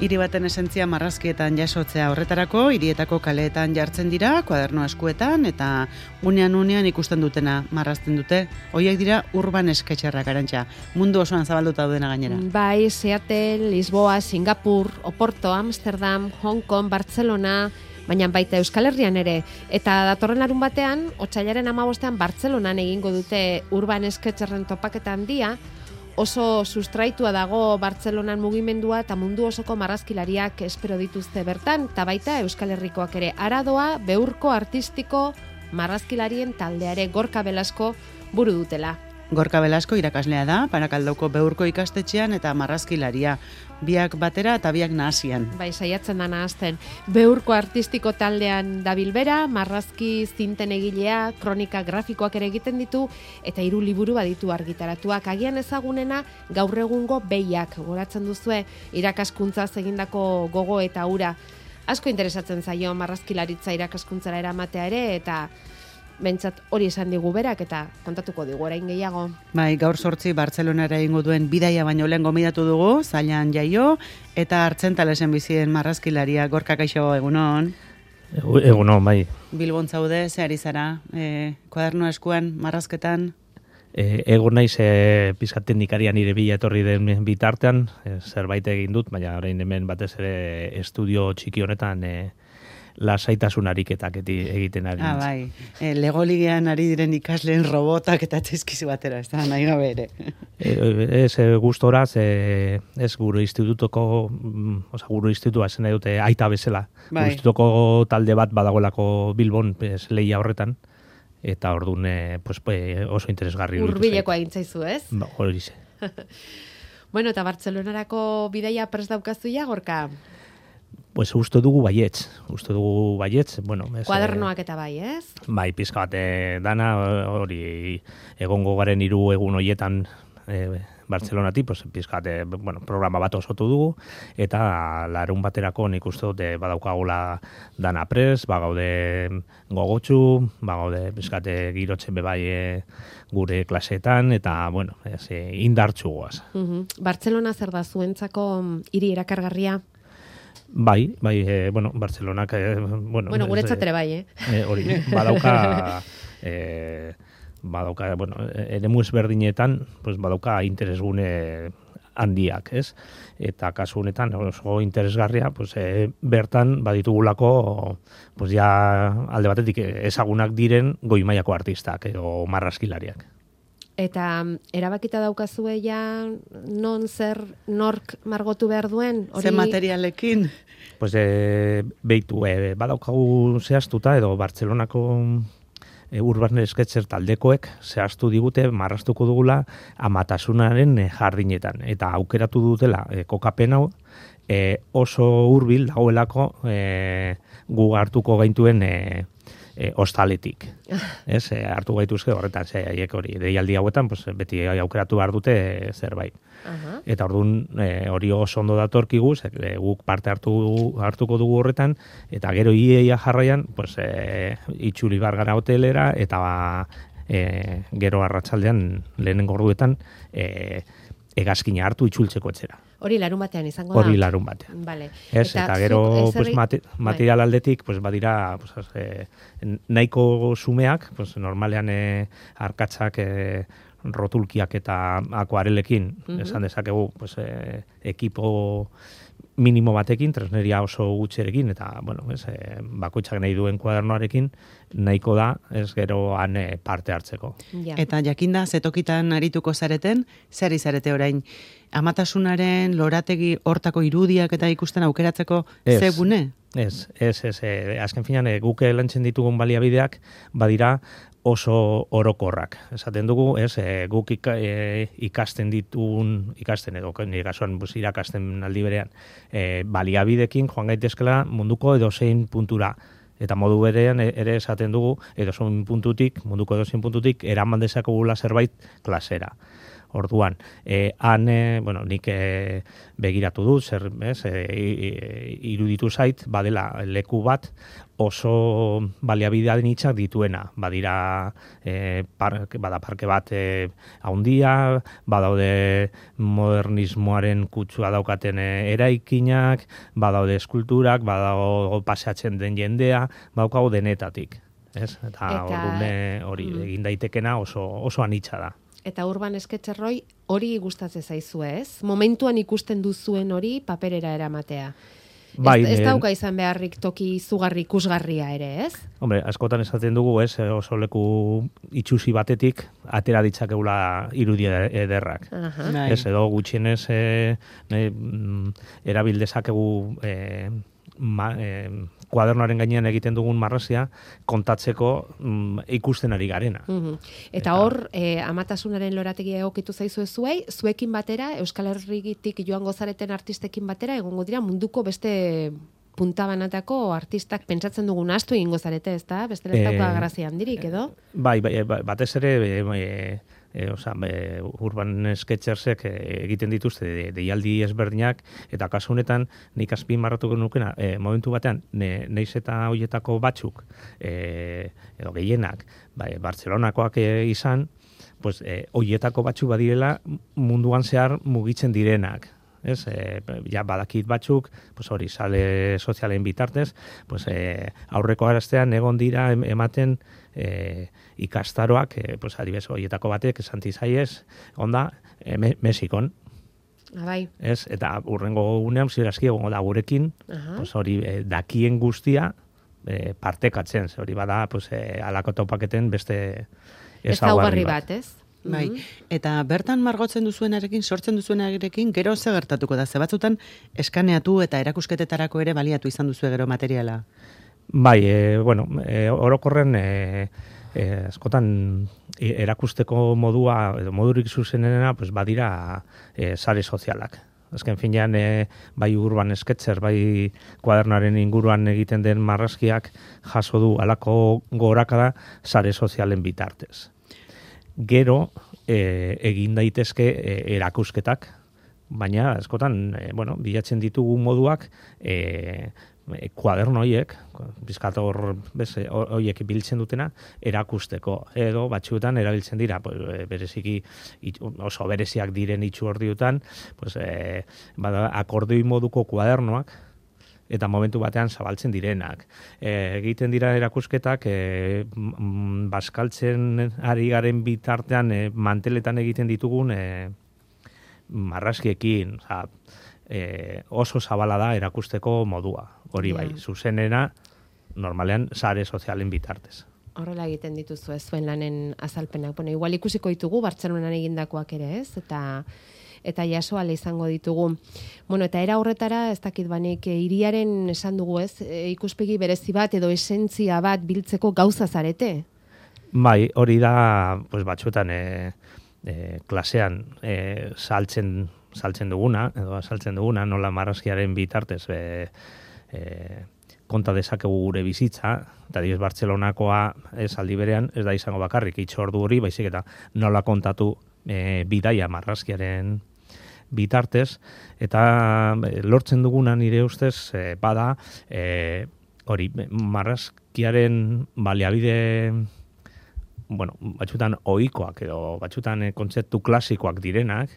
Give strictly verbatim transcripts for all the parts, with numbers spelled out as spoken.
Hiri baten esentzia marrazkietan jasotzea horretarako, hirietako kaleetan jartzen dira, kuaderno eskuetan, eta unean unean ikusten dutena marrazten dute. Hoiek dira urban sketcherrak, Arantxa. Mundu osoan zabalduta daudena gainera. Bai, Seattle, Lisboa, Singapur, Oporto, Amsterdam, Hong Kong, Barcelona, baina baita Euskal Herrian ere. Eta datorren larun batean, otsailaren hamabostean Bartzelonan egingo dute urban sketcherren topaketa handia. Oso sustraitua dago Bartzelonan mugimendua eta mundu osoko marrazkilariak espero dituzte bertan, eta baita Euskal Herrikoak ere. Aradoa, beurko artistiko marrazkilarien taldeare Gorka Belasko buru dutela. Gorka Belasko irakaslea da, Barakaldoko beurko ikastetxean eta marrazkilaria. Biak batera eta biak nahasian. Bai, saiatzen da nahazten. Beurko artistiko taldean dabil bera, marrazki zinten egilea, kronika grafikoak ere egiten ditu, eta hiru liburu baditu argitaratuak. Agian ezagunena gaur egungo behiak, goratzen duzue, irakaskuntzaz egindako gogo eta ura. Asko interesatzen zaio marrazkilaritza irakaskuntzara eramatea ere, eta bentsat hori esan digu berak eta kontatuko digu orain gehiago. Bai, gaur sortzi Bartzelonara egingo duen bidaia baino lehen gomidatu dugu, Zailan Jaio, eta Artzentalesen bizien marrazkilaria. Gorka, kaixo, egunon? Egunon, bai. Bilbon zaude, ze ari zara, e, kuaderno eskuan, marrazketan? E, egun naiz e, pizkat teknikaria nire bila etorri den bitartean, e, zerbait egin dut, baina orain hemen batez ere estudio txiki honetan e, lasaitasun ariketak egiten ari. Ah, bai. E, Legoligean ari diren ikasleen robotak eta txizkizu batera, ez da, nahi gabe ere. E, ez e, gustora, ez, ez gure institutuko, oza, gure institutua zen dute aita bezala. Bai. Gure institutuko talde bat badagoelako Bilbon, ez, lehia horretan, eta orduan pues, oso interesgarri. Hurbileko egin zaizu, ez? Ba, hori ze. Bueno, eta Bartzelonarako bidaia prest daukazu ja, Gorka? Pues uste dugu baietz, uste dugu baietz, bueno... Ez, kuadernoak eta bai, ez? Bai, pizka bat dana, hori egongo garen hiru egun hoietan e, Bartzelonatik, pues, pizka bat, bueno, programa bat osotu dugu, eta larun baterako nik uste dut badaukagula dana prest, bagaude gogotsu, bagaude pizka bat girotzen bebai e, gure klaseetan, eta, bueno, ez, indartsu goaz. Uh-huh. Bartzelona zer da zuentzako hiri erakargarria? Bai, bai, e, bueno, Bartzelonak... E, bueno, bueno, guretzat ere bai, eh? E, hori, badauka... E, badauka, bueno, eremu ezberdinetan, pues, badauka interesgune handiak, ez? Eta kasu honetan, oso interesgarria, pues, e, bertan baditugulako, pues, ja alde batetik ezagunak diren goi mailako artistak, edo marrazkilariak. Eta erabakita daukazue ja non zer nork margotu behar duen? Hori... Ze materialekin? Pues, e, beitu, e, badaukagu zehaztuta, edo Bartzelonako e, urban sketcher taldekoek zehaztu digute marraztuko dugula amatasunaren e, jardinetan. Eta aukeratu dutela e, kokapen hau e, oso hurbil dagoelako e, gu hartuko gaintuen e, E, ostaletik. Ez, e, hartu gaituzke horretan, ze haiek hori deialdi hauetan, pues, beti aukeratu behar dute e, zerbait. Uh-huh. Eta orduan e, hori oso ondo datorkigu, ze, e, guk parte hartu, hartuko dugu horretan, eta gero iaia jarraian, pues, e, itxuli bargara hotelera, eta ba, e, gero arratsaldean lehenengo orduetan e, egazkina hartu itzultzeko etxera. Hori larun batean izango da? Hori larun batean. Vale. Ez, eta, eta gero pues, mate, material aldetik pues, badira pues, eh, nahiko sumeak, pues, normalean eh, arkatzak eh, rotulkiak eta akuarelekin, uh-huh. esan dezakegu pues, eh, ekipo minimo batekin, tresneria oso gutxerekin, eta bueno, ez, eh, bakoitzak nahi duen kuadernoarekin, nahiko da, ez gero han eh, parte hartzeko. Ja. Eta jakinda, zetokitan arituko zareten, zer izarete orain? Amatasunaren lorategi hortako irudiak eta ikusten aukeratzeko ze gune? Ez, ez, ez, ez, azken finan, e, guk lantzen ditugun baliabideak badira oso orokorrak. Esaten dugu, ez, e, guk ika, e, ikasten ditugun, ikasten edo, nire kasuan irakasten aldi berean, e, baliabidekin joan gaitezkela munduko edozein puntura. Eta modu berean ere esaten dugu, edozein puntutik, munduko edozein puntutik, eraman dezakegula zerbait klasera. Orduan, e, han, e, bueno, nik e, begiratu dut, zer, ez, e, e, iruditu zait, badela leku bat oso baliabidean hitzak dituena. Badira, e, parke, bada parke bat e, haundia, badaude modernismoaren kutsua daukaten e, eraikinak, badaude eskulturak, badago paseatzen den jendea, badaukago denetatik. Ez? Eta, eta ordune hori mm. egin daitekena oso, oso anitza da. Eta Urban Sketcherroi hori gustatzen zaizu, ez? Momentuan ikusten duzuen hori paperera eramatea. Bai, ez, ez dauka izan beharrik toki izugarri ikusgarria ere, ez? Hombre, askotan esaten dugu, ez, oso leku itxusi batetik atera ditzakegula irudi ederrak. Uh-huh. Ez, edo gutxienez e, e, erabil dezakegu e, ma, e, kuadernoaren gainean egiten dugun marrazia kontatzeko mm, ikusten ari garena. Mm-hmm. Eta, eta hor, eh, amatasunaren lorategia egokitu zaizu zuei, zuekin batera, Euskal Herritik joango zareten artistekin batera, egongo dira munduko beste puntabanatako artistak pentsatzen dugun astu egingo zarete, ezta? Beste ez dauka grazia handirik, edo? Bai, bai, batez ere, e, e, oza, e, Urban Sketchersek egiten dituzte de, deialdi ezberdinak, eta kasu honetan nik azpimarratuko nukena, e, momentu batean, ne, neiz eta hoietako batzuk, e, edo gehienak, bai, Bartzelonakoak e, izan, pues, e, hoietako batzuk badirela munduan zehar mugitzen direnak. Ez, e, ja badakit batzuk, pues hori, sale sozialen bitartez, pues e, aurreko araztean egon dira ematen e, ikastaroak, e, pues adibez horietako batek, esanti zaiez, onda, e, me, Mexikon. Abai. Ez, eta urrengo unean, zirazki egongo da gurekin, uh-huh. pues hori, e, dakien guztia e, partekatzen, hori bada, pues e, alako topaketen beste ezaugarri bat. bat, ez? Bai, eta bertan margotzen duzuenarekin, sortzen duzuenarekin, gero ze gertatuko da? Ze batzutan eskaneatu eta erakusketetarako ere baliatu izan duzu gero materiala? Bai, e, bueno, e, orokorren e, e, askotan erakusteko modua, edo modurik zuzenena, pues badira e, sare sozialak. Azken finean, e, bai Urban Sketcher, bai kuadernoaren inguruan egiten den marrazkiak jaso du alako gorakada sare sozialen bitartez. Gero e, egin daitezke e, erakusketak, baina askotan e, bueno, bilatzen ditugu moduak e, e, kuaderno horiek, bizkator horiek biltzen dutena, erakusteko. Edo batzuetan erabiltzen dira, pues, bereziki oso bereziak diren itxu ordiutan, pues, e, bada, akordeoi moduko kuadernoak, eta momentu batean zabaltzen direnak. E, egiten dira erakusketak, e, m, baskaltzen ari garen bitartean e, manteletan egiten ditugun e, marrazkiekin. Oza, e, oso zabala da erakusteko modua. Hori bai, yeah. Zuzenena, normalean, sare sozialen bitartez. Horrela egiten dituzu ez zuen lanen azalpenak. Bueno, igual ikusiko ditugu, Bartzelonan egindakoak ere ez, eta... eta jasoale izango ditugu. Bueno, eta era horretara, ez dakit banik, hiriaren esan dugu ez, ikuspegi berezi bat edo esentzia bat biltzeko gauza zarete? Bai, hori da, pues, batzuetan e, e, klasean e, saltzen, saltzen duguna, edo saltzen duguna, nola marrazkiaren bitartez e, e, konta dezakegu gure bizitza, eta diez Bartzelonakoa ez aldi berean, ez da izango bakarrik itxordu hori, baizik eta nola kontatu e, bidaia marrazkiaren bitartez, eta lortzen duguna nire ustez e, bada e, hori marrazkiaren baliabide, bueno, batzutan ohikoak edo batzutan e, kontzeptu klasikoak direnak,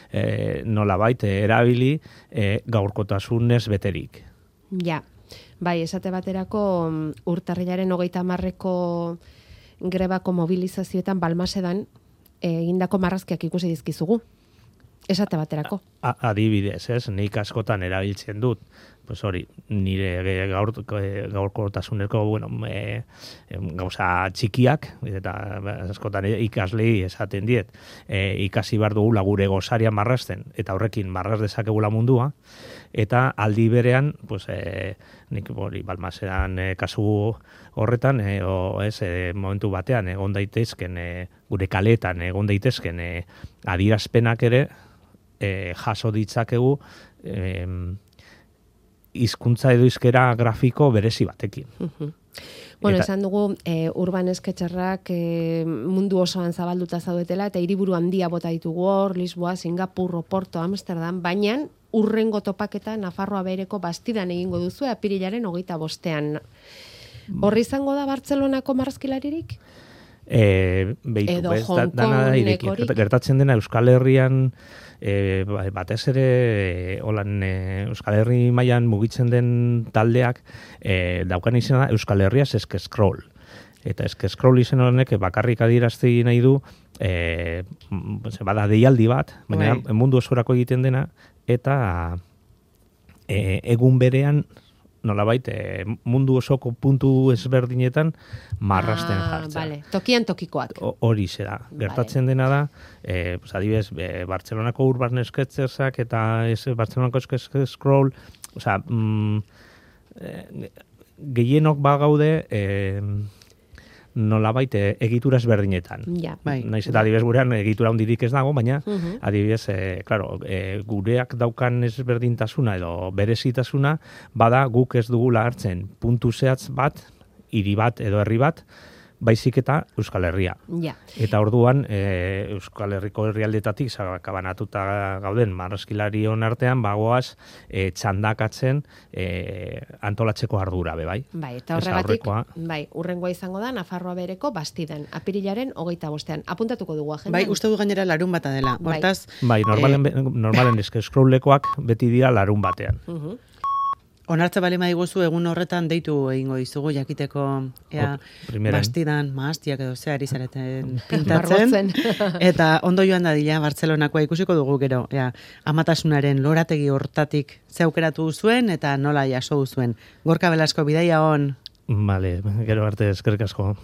e, nolabait e, erabili e, gaurkotasunez beterik. Ja, bai, esate baterako urtarrilaren hogeita hamarreko grebako mobilizazioetan Balmasedan egindako marrazkiak ikusi dizkizugu. Esate baterako. A, adibidez, ez, nik askotan erabiltzen dut, pues hori, nire gaur, gaurkotasuneko, bueno, e, e, gauza txikiak, eta askotan ikaslei esaten diet, e, ikasi behar dugula gure gozaria marrazten, eta horrekin marraz dezakegula mundua, eta aldi berean, pues, e, nik hori, Balmasedan e, kasu horretan, e, o, ez, e, momentu batean, egon daitezken, e, gure kaletan, egon daitezken, e, adierazpenak ere, E, jaso ditzakegu e, hizkuntza edo hizkera grafiko berezi batekin. Uh-huh. Bueno, Eta- esan dugu, e, urban esketxerrak e, mundu osoan zabalduta zaudetela, eta hiriburu handia bota ditugu hor, Lisboa, Singapur, Oporto, Amsterdam, baina urrengo topaketa Nafarroa Behereko Bastidan egingo duzu apirilaren hogeita bostean. Horri izango da Bartzelonako marrazkilaririk? E, behitu, Edo bez, da, Hong dana da Kong ireki. nekorik. Gertatzen dena Euskal Herrian e, ba- batez ere e, holan e, Euskal Herri mailan mugitzen den taldeak e, daukan izena Euskal Herriaz eske scroll. Eta eske scroll izen honek bakarrik adierazti nahi du e, m- bada deialdi bat, baina Bai. mundu osorako egiten dena eta e, egun berean nolabait e, mundu osoko puntu ezberdinetan marrasten Ah, jartzen. Vale. Tokian tokikoak. O- Hori zera. Gertatzen dena da, eh, pues adibidez, eh, Bartzelonako Urban Sketchersak eta ez Bartzelonako Sketch Scroll, o sea, mm, eh, gehienok bagaude eh, nolabait eh, egitura ezberdinetan. Ja. Bai. Naiz eta adibidez gurean egitura hundirik ez dago, baina Mhm. adibidez, eh, claro, eh, gureak daukan ezberdintasuna edo berezitasuna bada guk ez dugula hartzen puntu zehatz bat, hiri bat edo herri bat, baizik eta Euskal Herria. Ja. Eta orduan e, Euskal Herriko herrialdetatik sakabanatuta gauden marrazkilarion artean bagoaz e, txandakatzen e, antolatzeko ardura be bai. Bai, eta Ez horregatik, aurrekoa. bai, urrengoa izango da Nafarroa Behereko Bastidan, apirilaren hogeita bostean. Apuntatuko dugu agendan. Bai, uste du gainera larun bata dela. Bai. Hortaz, Bai, normalen, be- normalen eske scrolllekoak beti dira larun batean. Mhm. onartze bali maiguzu egun horretan deitu egingo dizugu jakiteko ea Hop, primeran. Bastidan maastiak edo ze ari zareten pintatzen. Margotzen. Eta ondo joan dadila Bartzelonakoa ikusiko dugu gero, ea, amatasunaren lorategi hortatik ze aukeratu zuen eta nola jaso zuen. Gorka Belasko bidaia on. Vale, gero arte eskerrik asko.